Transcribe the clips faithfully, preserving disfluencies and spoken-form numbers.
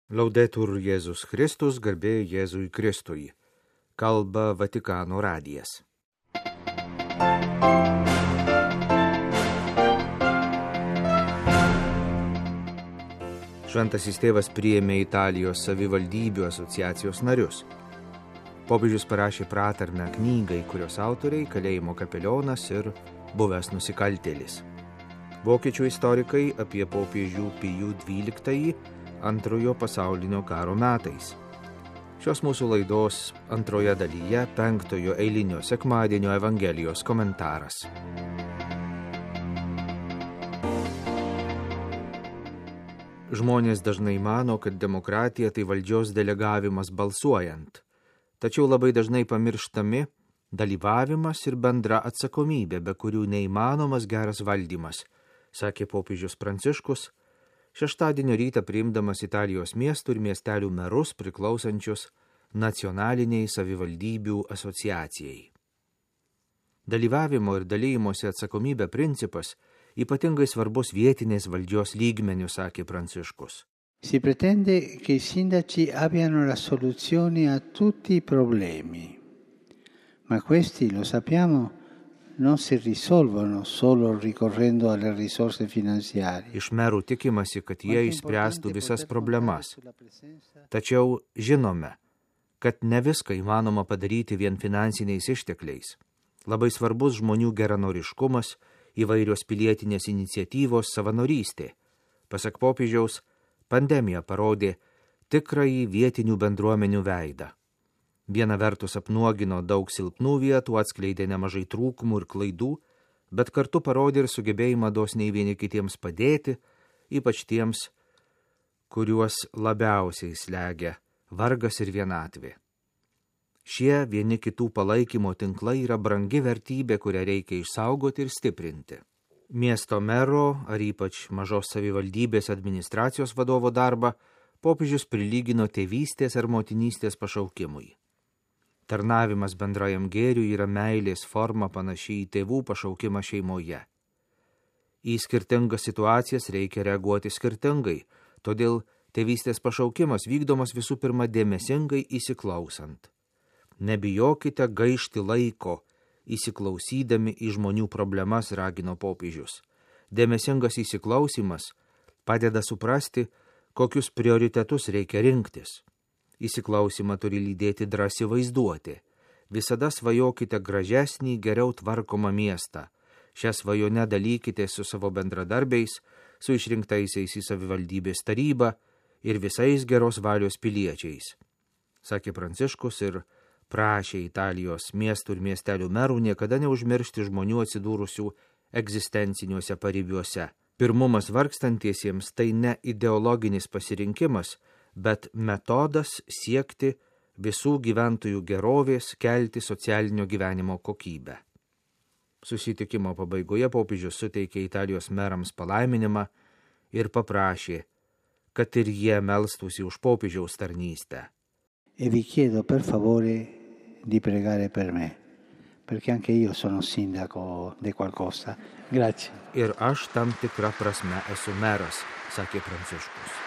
Laudetur Jėzus Kristus, garbė Jėzui Kristui. Kalba Vatikano radijas. Šventasis tėvas priėmė Italijos savivaldybių asociacijos narius. Popiežius parašė pratarmę knygai, kurios autoriai kalėjimo kapelionas ir buvęs nusikaltėlis. Vokiečių istorikai apie popiežių Pijų dvyliktąjį antrojo pasaulinio karo metais. Šios mūsų laidos antroje dalyje penktojo eilinio sekmadienio Evangelijos komentaras. Žmonės dažnai mano, kad demokratija tai valdžios delegavimas balsuojant, tačiau labai dažnai pamirštami dalyvavimas ir bendra atsakomybė, be kurių neįmanomas geras valdymas, sakė popiežius Pranciškus, šeštadienio rytą priimdamas Italijos miestų ir miestelių merus priklausančius nacionaliniai savivaldybių asociacijai. Dalyvavimo ir dalymosi atsakomybė principas ypatingai svarbus vietinės valdžios lygmenių, sakė Pranciškus. Si pretende che i sindaci abbiano la soluzione a tutti i problemi, ma questi, lo sappiamo, non si risolvono solo ricorrendo alle risorse finanziarie. Iš merų tikimasi, kad jie išspręstų visas problemas. Tačiau žinome, kad ne viską įmanoma padaryti vien finansiniais ištekliais. Labai svarbus žmonių geranoriškumas, įvairios pilietinės iniciatyvos, savanorystė. Pasak popiežiaus, pandemija parodė tikrąjį vietinių bendruomenių veidą. Viena vertus apnuogino daug silpnų vietų, atskleidė nemažai trūkumų ir klaidų, bet kartu parodė ir sugebėjimą dosniai vieni kitiems padėti, ypač tiems, kuriuos labiausiai slegia vargas ir vienatvė. Šie vieni kitų palaikymo tinklai yra brangi vertybė, kurią reikia išsaugoti ir stiprinti. Miesto mero ar ypač mažos savivaldybės administracijos vadovo darbą popiežius prilygino tėvystės ar motinystės pašaukimui. Tarnavimas bendrajam gėriui yra meilės forma panašiai į tėvų pašaukimą šeimoje. Į skirtingas situacijas reikia reaguoti skirtingai, todėl tėvystės pašaukimas vykdomas visų pirma dėmesingai įsiklausant. Nebijokite gaišti laiko, įsiklausydami į žmonių problemas, ragino popiežius. Dėmesingas įsiklausimas padeda suprasti, kokius prioritetus reikia rinktis. Įsiklausimą turi lydėti drąsi vaizduoti. Visada svajokite gražesnį, geriau tvarkomą miestą. Šią svajonę dalykite su savo bendradarbiais, su išrinktaisiais į savivaldybės tarybą ir visais geros valios piliečiais, sakė Pranciškus ir prašė Italijos miestų ir miestelių merų niekada neužmiršti žmonių atsidūrusių egzistenciniuose paribiuose. Pirmumas vargstantiesiems tai ne ideologinis pasirinkimas, bet metodas siekti visų gyventojų gerovės, kelti socialinio gyvenimo kokybę. Susitikimo pabaigoje popiežius suteikė Italijos merams palaiminimą ir paprašė, kad ir jie melstųsi už popiežiaus tarnystę. E vi chiedo per favore di pregare per me, perché anche io sono sindaco di qualcosa. Grazie. Ir aš tam tikrą prasme esu meras, sakė Pranciškus.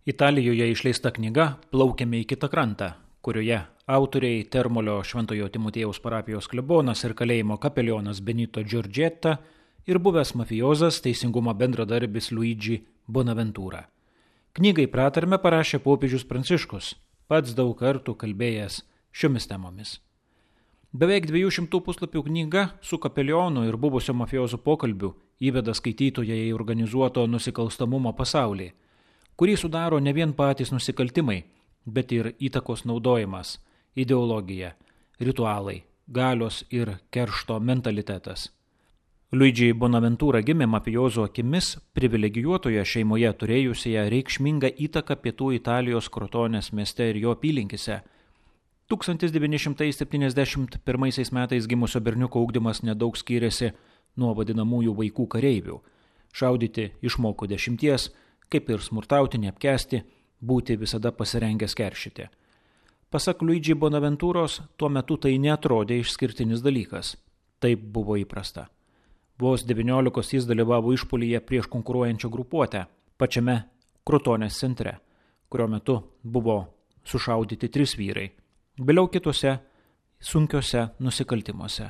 Italijoje išleista knyga Plaukiame į kitą krantą, kurioje autoriai Termolio Šventojo Timotiejaus parapijos klebonas ir kalėjimo kapelionas Benito Giorgetta ir buvęs mafiozas teisingumo bendradarbis Luigi Bonaventura. Knygai pratarmę parašė popiežius Pranciškus, pats daug kartų kalbėjęs šiomis temomis. Beveik dviejų šimtų puslapių knyga su kapelionu ir buvusio mafiozo pokalbiu įveda skaitytoją į organizuoto nusikalstamumo pasaulį, kurį sudaro ne vien patys nusikaltimai, bet ir įtakos naudojimas, ideologija, ritualai, galios ir keršto mentalitetas. Luigi Bonaventura gimė mafiozo akimis privilegijuotoje šeimoje turėjusioje reikšmingą įtaką pietų Italijos Krotonės mieste ir jo apylinkėse. tūkstantis devyni šimtai septyniasdešimt pirmaisiais metais gimusio berniuko ugdymas nedaug skyrėsi nuo vadinamųjų vaikų kareivių. Šaudyti išmoko dešimties, kaip ir smurtauti, neapkęsti, būti visada pasirengęs keršyti. Pasak Luigi Bonaventūros, tuo metu tai neatrodė išskirtinis dalykas. Taip buvo įprasta. Vos devyniolikos jis dalyvavo išpuolyje prieš konkuruojančią grupuotę pačiame Krotonės centre, kurio metu buvo sušaudyti trys vyrai, vėliau kitose sunkiuose nusikaltimuose.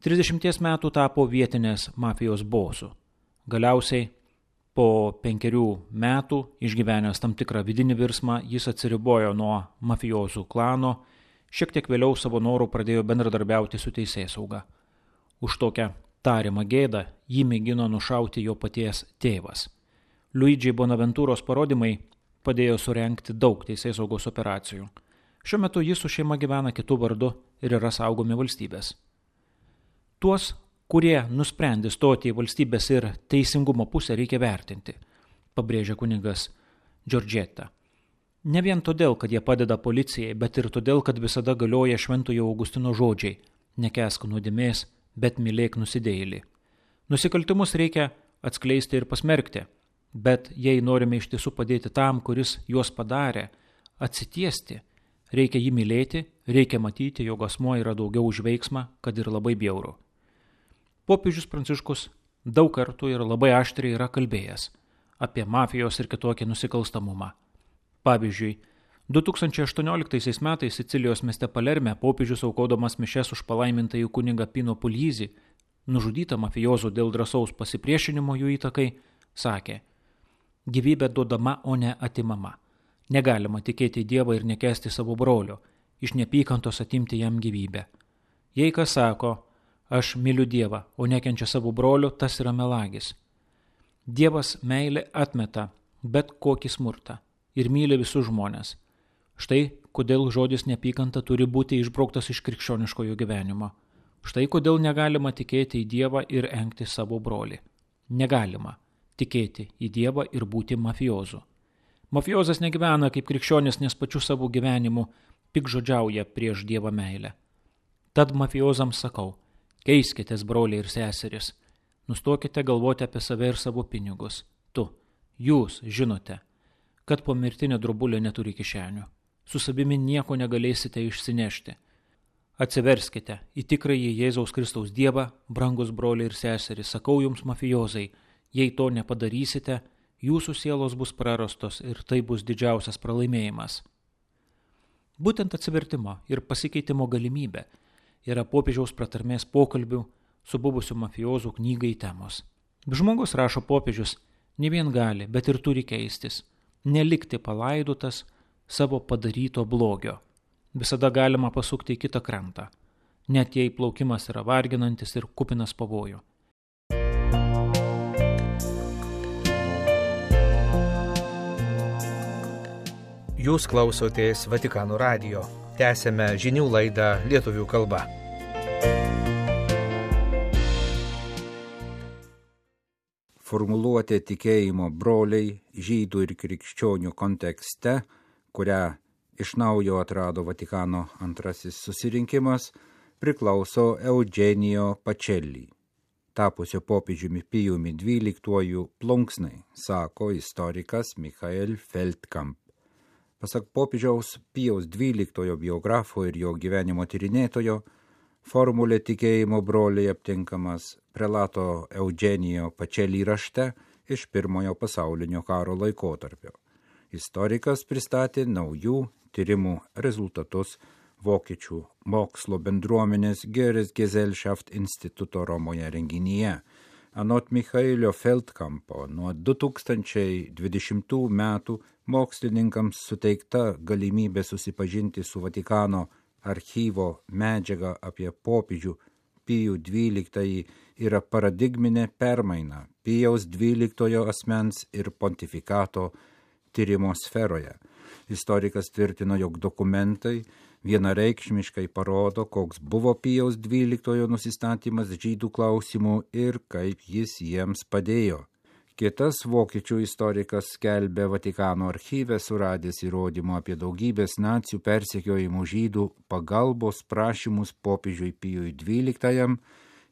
trisdešimties metų tapo vietinės mafijos bosu. Galiausiai po penkerių metų, išgyvenęs tam tikrą vidinį virsmą, jis atsiribojo nuo mafijozų klano, šiek tiek vėliau savo norų pradėjo bendradarbiauti su teisėsauga. Už tokią tariamą gėdą jį mėgino nušauti jo paties tėvas. Luigi Bonaventūros parodymai padėjo surengti daug teisėsaugos operacijų. Šiuo metu jis su šeima gyvena kitų vardu ir yra saugomi valstybės. Tuos, kurie nusprendė stoti į valstybės ir teisingumo pusę, reikia vertinti, pabrėžia kunigas Giorgetta. Ne vien todėl, kad jie padeda policijai, bet ir todėl, kad visada galioja Šventojo Augustino žodžiai: nekęsk nuodėmės, bet mylėk nusidėjėlį. Nusikaltimus reikia atskleisti ir pasmerkti, bet jei norime iš tiesų padėti tam, kuris juos padarė, atsitiesti, reikia jį mylėti, reikia matyti, jog asmuo yra daugiau už veiksmą, kad ir labai bjauru. Popiežius Pranciškus daug kartų ir labai aštriai yra kalbėjęs apie mafijos ir kitokį nusikalstamumą. Pavyzdžiui, du tūkstančiai aštuonioliktaisiais metais Sicilijos mieste Palerme popiežius aukodamas mišes už palaimintąjį kunigą Pino Puglisi, nužudytą mafijozų dėl drąsaus pasipriešinimo jų įtakai, sakė: gyvybė duodama, o ne atimama. Negalima tikėti į Dievą ir nekęsti savo brolio, iš neapykantos atimti jam gyvybę. Jei kas sako: aš myliu Dievą, o nekenčia savo brolio, tas yra melagis. Dievas meilė atmeta bet kokį smurtą ir myli visus žmonės. Štai kodėl žodis neapykanta turi būti išbrauktas iš krikščioniškojo gyvenimo. Štai kodėl negalima tikėti į Dievą ir engti savo brolį. Negalima tikėti į Dievą ir būti mafiozu. Mafiozas negyvena kaip krikščionis, nes pačiu savo gyvenimu pikžodžiauja prieš Dievą meilę. Tad mafiozams sakau: keiskitės, broliai ir seseris, nustokite galvoti apie save ir savo pinigus. Tu, jūs žinote, kad pomirtinė drobulė neturi kišenių. Su savimi nieko negalėsite išsinešti. Atsiverskite į tikrąjį Jėzaus Kristaus Dievą, brangus broliai ir seseris, sakau jums, mafiozai, jei to nepadarysite, jūsų sielos bus prarastos ir tai bus didžiausias pralaimėjimas. Būtent atsivertimo ir pasikeitimo galimybė yra popiežiaus pratarmės pokalbių su buvusiu mafiozų knygai temos. Žmogus, rašo popiežius, ne vien gali, bet ir turi keistis, nelikti palaidotas savo padaryto blogio. Visada galima pasukti į kitą krantą, net jei plaukimas yra varginantis ir kupinas pavojų. Jūs klausotės Vatikano radijo. Tęsėme žinių laidą lietuvių kalba. Formuluotė tikėjimo broliai žydų ir krikščionių kontekste, kurią iš naujo atrado Vatikano antrasis susirinkimas, priklauso Eugenijo Pacelli, tapusio popiežiumi Pijumi dvyliktuoju plunksnai, sako istorikas Michael Feldkamp. Pasak popiežiaus Pijaus dvyliktojo biografo ir jo gyvenimo tyrinėtojo, formulė tikėjimo broliai aptinkamas prelato Eugenijo Pacelli rašte iš pirmojo pasaulinio karo laikotarpio. Istorikas pristatė naujų tyrimų rezultatus Vokiečių mokslo bendruomenės Goethes Gesellschaft instituto Romoje renginyje. Anot Michaelio Feldkampo, nuo du tūkstančiai dvidešimtų metų mokslininkams suteikta galimybė susipažinti su Vatikano archyvo medžiaga apie popiežių Pijų dvyliktąjį yra paradigminė permaina Pijaus dvyliktojo asmens ir pontifikato tyrimo sferoje. Istorikas tvirtino, jog dokumentai vienareikšmiškai parodo, koks buvo Pijaus dvyliktojo nusistatymas žydų klausimų ir kaip jis jiems padėjo. Kitas vokiečių istorikas skelbė Vatikano archyve suradęs įrodymų apie daugybės nacių persekiojimų žydų pagalbos prašymus popiežiui Pijui dvyliktajam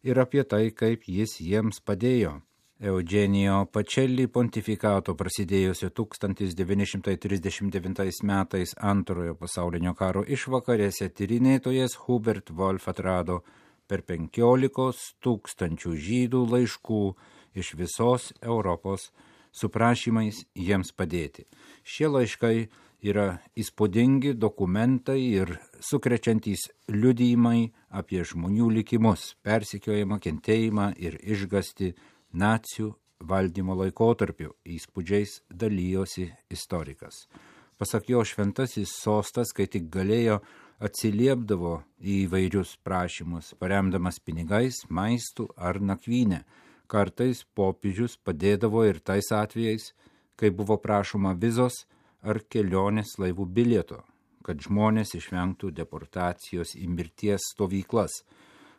ir apie tai, kaip jis jiems padėjo. Eugenijo Pacelli pontifikato prasidėjusio tūkstantis devyni šimtai trisdešimt devintais metais antrojo pasaulinio karo išvakarėse tyrinėtojas Hubert Wolf atrado per penkiolikos tūkstančių žydų laiškų iš visos Europos su prašymais jiems padėti. Šie laiškai yra įspūdingi dokumentai ir sukrečiantys liudijimai apie žmonių likimus, persekiojimą, kentėjimą ir išgąstį nacių valdymo laikotarpiu. Įspūdžiais dalyjosi istorikas. Pasak jo, šventasis sostas, kai tik galėjo, atsiliepdavo į įvairius prašymus, paremdamas pinigais, maistų ar nakvynę. Kartais popiežius padėdavo ir tais atvejais, kai buvo prašoma vizos ar kelionės laivų bilieto, kad žmonės išvengtų deportacijos į mirties stovyklas.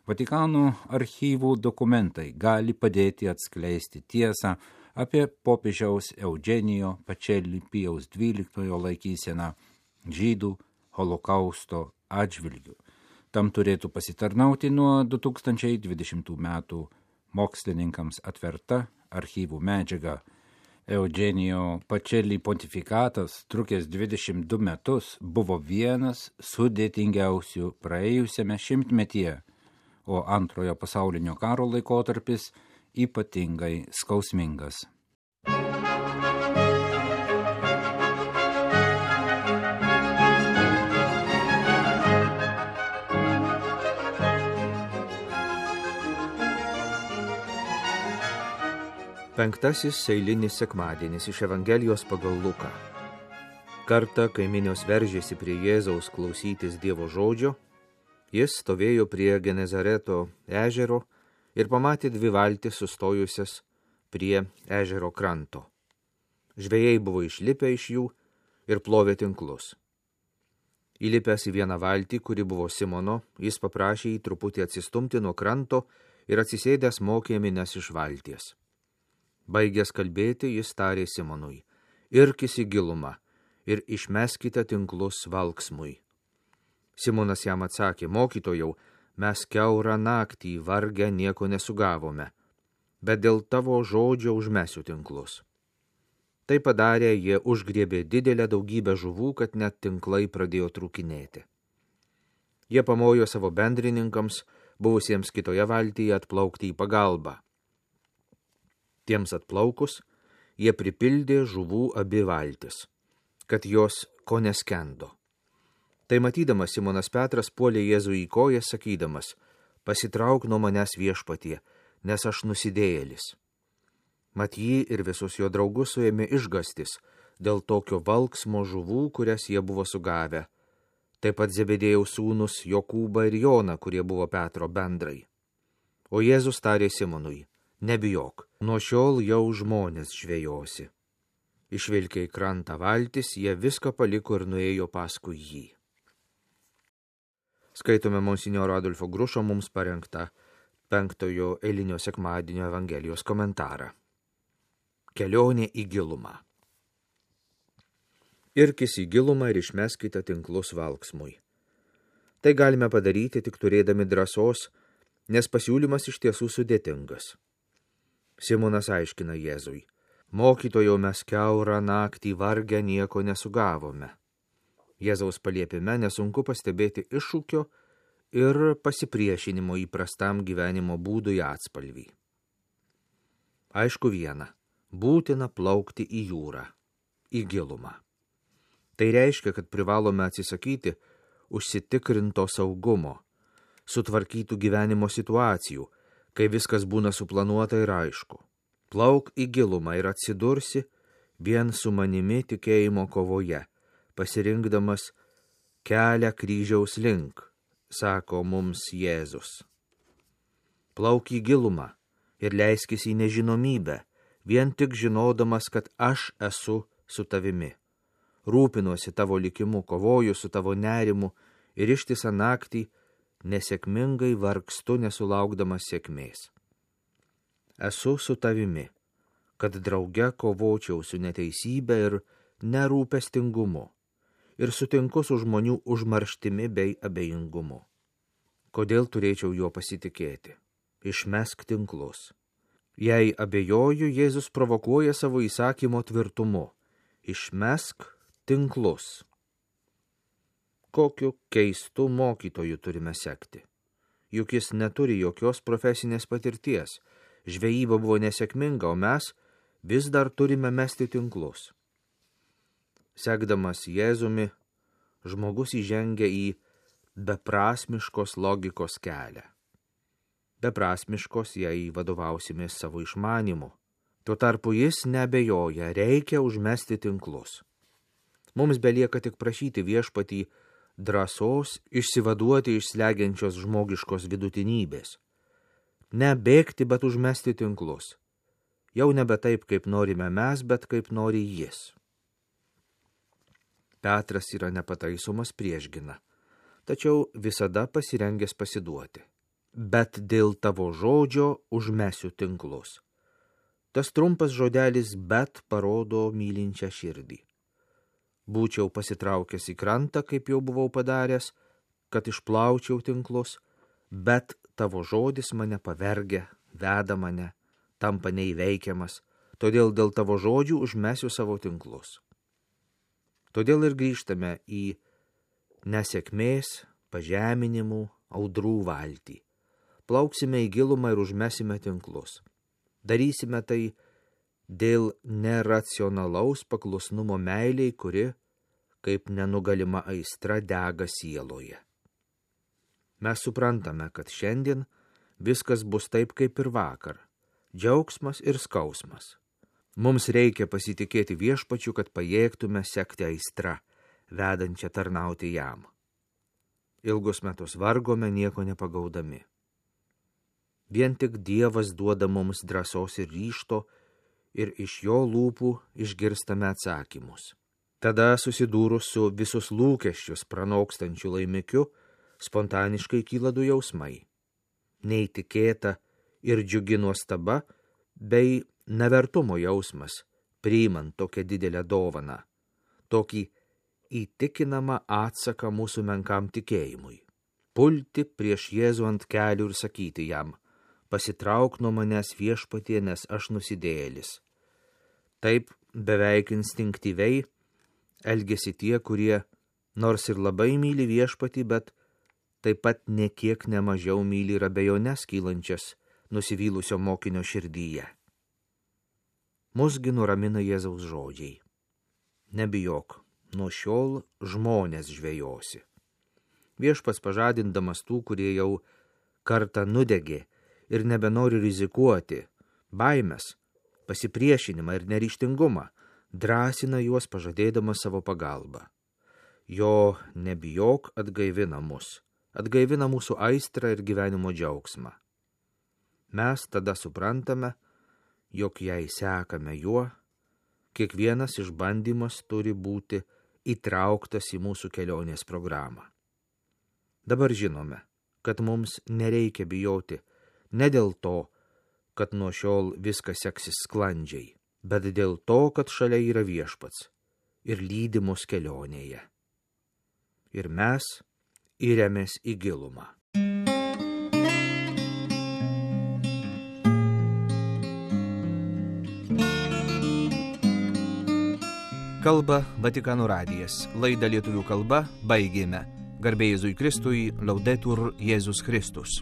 Vatikano archyvų dokumentai gali padėti atskleisti tiesą apie popiežiaus Eugenijo Pacelli Pijaus dvyliktojo laikyseną žydų holokausto atžvilgių. Tam turėtų pasitarnauti nuo du tūkstančiai dvidešimtų metų mokslininkams atverta archyvų medžiaga. Eugenijo Pacelli pontifikatas, trukęs dvidešimt du metus, buvo vienas sudėtingiausių praėjusiame šimtmetyje, o antrojo pasaulinio karo laikotarpis ypatingai skausmingas. Penktasis eilinis sekmadienis iš Evangelijos pagal Luką. Kartą, kai minios veržėsi prie Jėzaus klausytis Dievo žodžio, jis stovėjo prie Genezareto ežero ir pamatė dvi valtis sustojusias prie ežero kranto. Žvejai buvo išlipę iš jų ir plovė tinklus. Įlipęs į vieną valtį, kuri buvo Simono, jis paprašė jį truputį atsistumti nuo kranto ir atsisėdęs mokė minias iš valties. Baigęs kalbėti, jis tarė Simonui: irkis į gilumą ir išmeskite tinklus valksmui. Simonas jam atsakė: mokytojau, mes kiaurą naktį vargę nieko nesugavome, bet dėl tavo žodžio užmesiu tinklus. Tai padarė, jie užgriebė didelę daugybę žuvų, kad net tinklai pradėjo trūkinėti. Jie pamojo savo bendrininkams, buvusiems kitoje valtyje, atplaukti į pagalbą. Tiems atplaukus, jie pripildė žuvų abi valtis, kad jos ko neskendo. Tai matydamas, Simonas Petras puolė Jėzų į koją, sakydamas: pasitrauk nuo manęs, Viešpatie, nes aš nusidėjėlis. Mat jį ir visus jo draugus suėmė išgąstis dėl tokio valksmo žuvų, kurias jie buvo sugavę. Taip pat Zebedėjaus sūnus Jokūbą ir Joną, kurie buvo Petro bendrai. O Jėzus tarė Simonui: nebijok, nuo šiol jau žmonės žvejosi. Išvilkę į krantą valtis, jie viską paliko ir nuėjo paskui jį. Skaitome monsinjoro Adolfo Grušo mums parengtą penktojo eilinio sekmadienio Evangelijos komentarą. Kelionė į gilumą. Irkis į gilumą ir išmeskite tinklus valksmui. Tai galime padaryti tik turėdami drąsos, nes pasiūlymas iš tiesų sudėtingas. Simonas aiškina Jėzui: mokytojau, mes kiaurą naktį vargę nieko nesugavome. Jėzaus paliepime nesunku pastebėti iššūkio ir pasipriešinimo įprastam gyvenimo būdui atspalvį. Aišku viena, būtina plaukti į jūrą, į gilumą. Tai reiškia, kad privalome atsisakyti užsitikrinto saugumo, sutvarkytų gyvenimo situacijų, kai viskas būna suplanuota ir aišku. Plauk į gilumą ir atsidursi vien su manimi tikėjimo kovoje, pasirinkdamas kelią kryžiaus link, sako mums Jėzus. Plauk į gilumą ir leiskis į nežinomybę, vien tik žinodamas, kad aš esu su tavimi. Rūpinuosi tavo likimu, kovoju su tavo nerimu ir ištisą naktį nesėkmingai vargstu nesulaukdamas sėkmės. Esu su tavimi, kad drauge kovočiau su neteisybė ir nerūpestingumu ir sutinku su žmonių užmarštimi bei abejingumu. Kodėl turėčiau juo pasitikėti? Išmesk tinklus. Jei abejoju, Jėzus provokuoja savo įsakymo tvirtumu. Išmesk tinklus. Kokiu keistu mokytoju turime sekti? juk jis neturi jokios profesinės patirties. Žvejyba buvo nesėkminga, o mes vis dar turime mesti tinklus. Sekdamas Jėzumi, žmogus įžengia į beprasmiškos logikos kelią. Beprasmiškos, jei vadovausimės savo išmanimu. Tuo tarpu jis neabejoja, reikia užmesti tinklus. Mums belieka tik prašyti Viešpatį drąsos išsivaduoti iš slegiančios žmogiškos vidutinybės. Ne bėgti, bet užmesti tinklus. Jau nebe taip, kaip norime mes, bet kaip nori jis. Petras yra nepataisomas priešgina, tačiau visada pasirengęs pasiduoti. Bet dėl tavo žodžio užmesiu tinklus. Tas trumpas žodelis bet parodo mylinčią širdį. Būčiau pasitraukęs į krantą, kaip jau buvau padaręs, kad išplaučiau tinklus, bet tavo žodis mane pavergia, veda mane, tampa neįveikiamas, todėl dėl tavo žodžių užmesiu savo tinklus. Todėl ir grįžtame į nesėkmės, pažeminimų, audrų valtį. Plauksime į gilumą ir užmesime tinklus. Darysime tai dėl neracionalaus paklusnumo meiliai, kuri, kaip nenugalima aistra, dega sieloje. Mes suprantame, kad šiandien viskas bus taip, kaip ir vakar. Džiaugsmas ir skausmas. Mums reikia pasitikėti Viešpačiu, kad pajėgtume sekti aistrą, vedančią tarnauti jam. Ilgus metus vargome, nieko nepagaudami. Vien tik Dievas duoda mums drąsos ir ryžto, ir iš jo lūpų išgirstame atsakymus. Tada, susidūrus su visus lūkesčius pranokstančiu laimikiu, spontaniškai kyla du jausmai. Neįtikėta ir džiugi nuostaba, bei nevertumo jausmas, priimant tokią didelę dovaną, tokį įtikinamą atsaką mūsų menkam tikėjimui. Pulti prieš Jėzų ant kelių ir sakyti jam: pasitrauk nuo manęs, Viešpatie, nes aš nusidėjėlis. Taip beveik instinktyviai elgesi tie, kurie nors ir labai myli Viešpatį, bet taip pat nekiek nemažiau myli ir abejones kylančias nusivylusio mokinio širdyje. Musgi nuramina Jėzaus žodžiai. Nebijok, nuo šiol žmonės žvejosi. Viešpats pažadindamas tų, kurie jau kartą nudegė ir nebenori rizikuoti, baimės, pasipriešinimą ir neryžtingumą, drąsina juos pažadėdamas savo pagalbą. Jo nebijok atgaivina mus, atgaivina mūsų aistrą ir gyvenimo džiaugsmą. Mes tada suprantame, jog jei sekame juo, kiekvienas išbandymas turi būti įtrauktas į mūsų kelionės programą. Dabar žinome, kad mums nereikia bijoti ne dėl to, kad nuo šiol viskas seksis sklandžiai, bet dėl to, kad šalia yra Viešpats ir lydi mus kelionėje. Ir mes įremės į gilumą. Kalba Vatikano radijas. Laidą lietuvių kalba baigėme. Garbė Jėzui Kristui, Laudetur Jėzus Kristus.